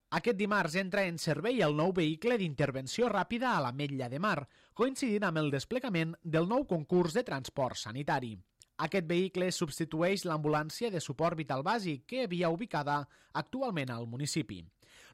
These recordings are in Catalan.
Aquest dimarts entra en servei el nou vehicle d'intervenció ràpida a l'Ametlla de Mar, coincidint amb el desplegament del nou concurs de transport sanitari. Aquest vehicle substitueix l'ambulància de suport vital bàsic que havia ubicada actualment al municipi.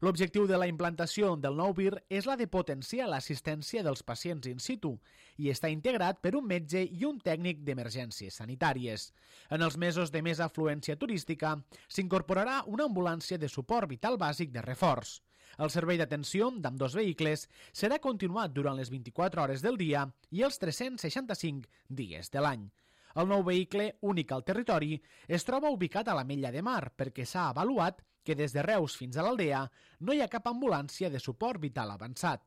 L'objectiu de la implantació del nou VIR és la de potenciar l'assistència dels pacients in situ i està integrat per un metge i un tècnic d'emergències sanitàries. En els mesos de més afluència turística s'incorporarà una ambulància de suport vital bàsic de reforç. El servei d'atenció d'ambdós vehicles serà continuat durant les 24 hores del dia i els 365 dies de l'any. El nou vehicle, únic al territori, es troba ubicat a l'Ametlla de Mar perquè s'ha avaluat que des de Reus fins a l'Aldea no hi ha cap ambulància de suport vital avançat.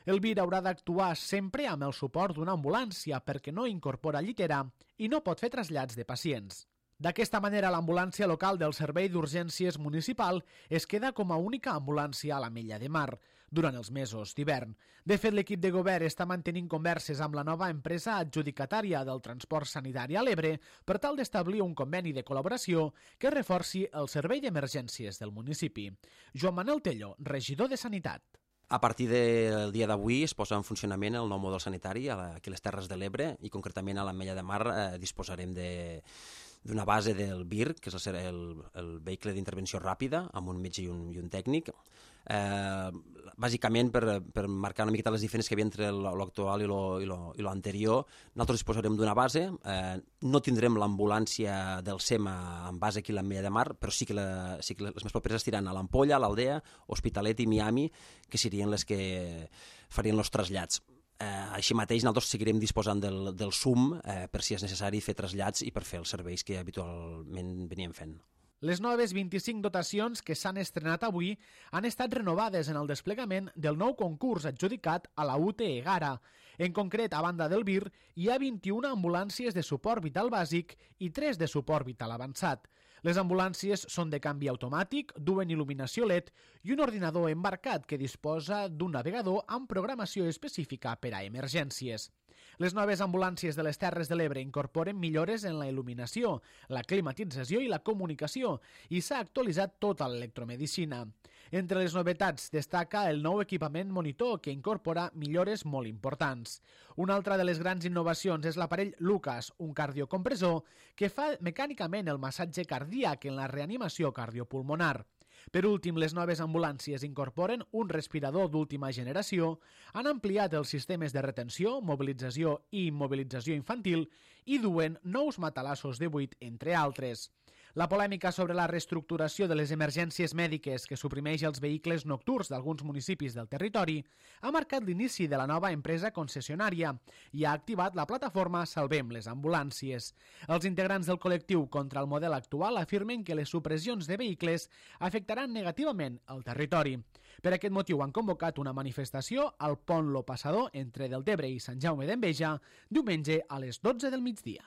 El VIR haurà d'actuar sempre amb el suport d'una ambulància perquè no incorpora llitera i no pot fer trasllats de pacients. D'aquesta manera, l'ambulància local del Servei d'Urgències Municipal es queda com a única ambulància a l'Ametlla de Mar durant els mesos d'hivern. De fet, l'equip de govern està mantenint converses amb la nova empresa adjudicatària del transport sanitari a l'Ebre per tal d'establir un conveni de col·laboració que reforci el servei d'emergències del municipi. Joan Manuel Tello, regidor de Sanitat. A partir del dia d'avui es posa en funcionament el nou model sanitari aquí a les Terres de l'Ebre i concretament a l'Ametlla de Mar disposarem d'una base del VIR, que és el vehicle d'intervenció ràpida, amb un metge i un tècnic. Bàsicament, per marcar una miqueta les diferències que hi havia entre l'actual i l'anterior, nosaltres disposarem d'una base, no tindrem l'ambulància del SEMA en base aquí a l'Ametlla de Mar, però sí que les més properes estiran a l'Ampolla, a l'Aldea, Hospitalet i Miami, que serien les que farien els trasllats. Així mateix nosaltres seguirem disposant del SUM per si és necessari fer trasllats i per fer els serveis que habitualment veníem fent. Les noves 25 dotacions que s'han estrenat avui han estat renovades en el desplegament del nou concurs adjudicat a la UTE Egara. En concret, a banda del VIR, hi ha 21 ambulàncies de suport vital bàsic i 3 de suport vital avançat. Les ambulàncies són de canvi automàtic, duen il·luminació LED i un ordinador embarcat que disposa d'un navegador amb programació específica per a emergències. Les noves ambulàncies de les Terres de l'Ebre incorporen millores en la il·luminació, la climatització i la comunicació i s'ha actualitzat tota l'electromedicina. Entre les novetats destaca el nou equipament monitor que incorpora millores molt importants. Una altra de les grans innovacions és l'aparell Lucas, un cardiocompressor que fa mecànicament el massatge cardíac en la reanimació cardiopulmonar. Per últim, les noves ambulàncies incorporen un respirador d'última generació, han ampliat els sistemes de retenció, mobilització i immobilització infantil i duen nous matalassos de buit, entre altres. La polèmica sobre la reestructuració de les emergències mèdiques que suprimeix els vehicles nocturns d'alguns municipis del territori ha marcat l'inici de la nova empresa concessionària i ha activat la plataforma Salvem les ambulàncies. Els integrants del col·lectiu contra el model actual afirmen que les supressions de vehicles afectaran negativament el territori. Per aquest motiu han convocat una manifestació al pont Lo Passador entre Deltebre i Sant Jaume d'Enveja diumenge a les 12 del migdia.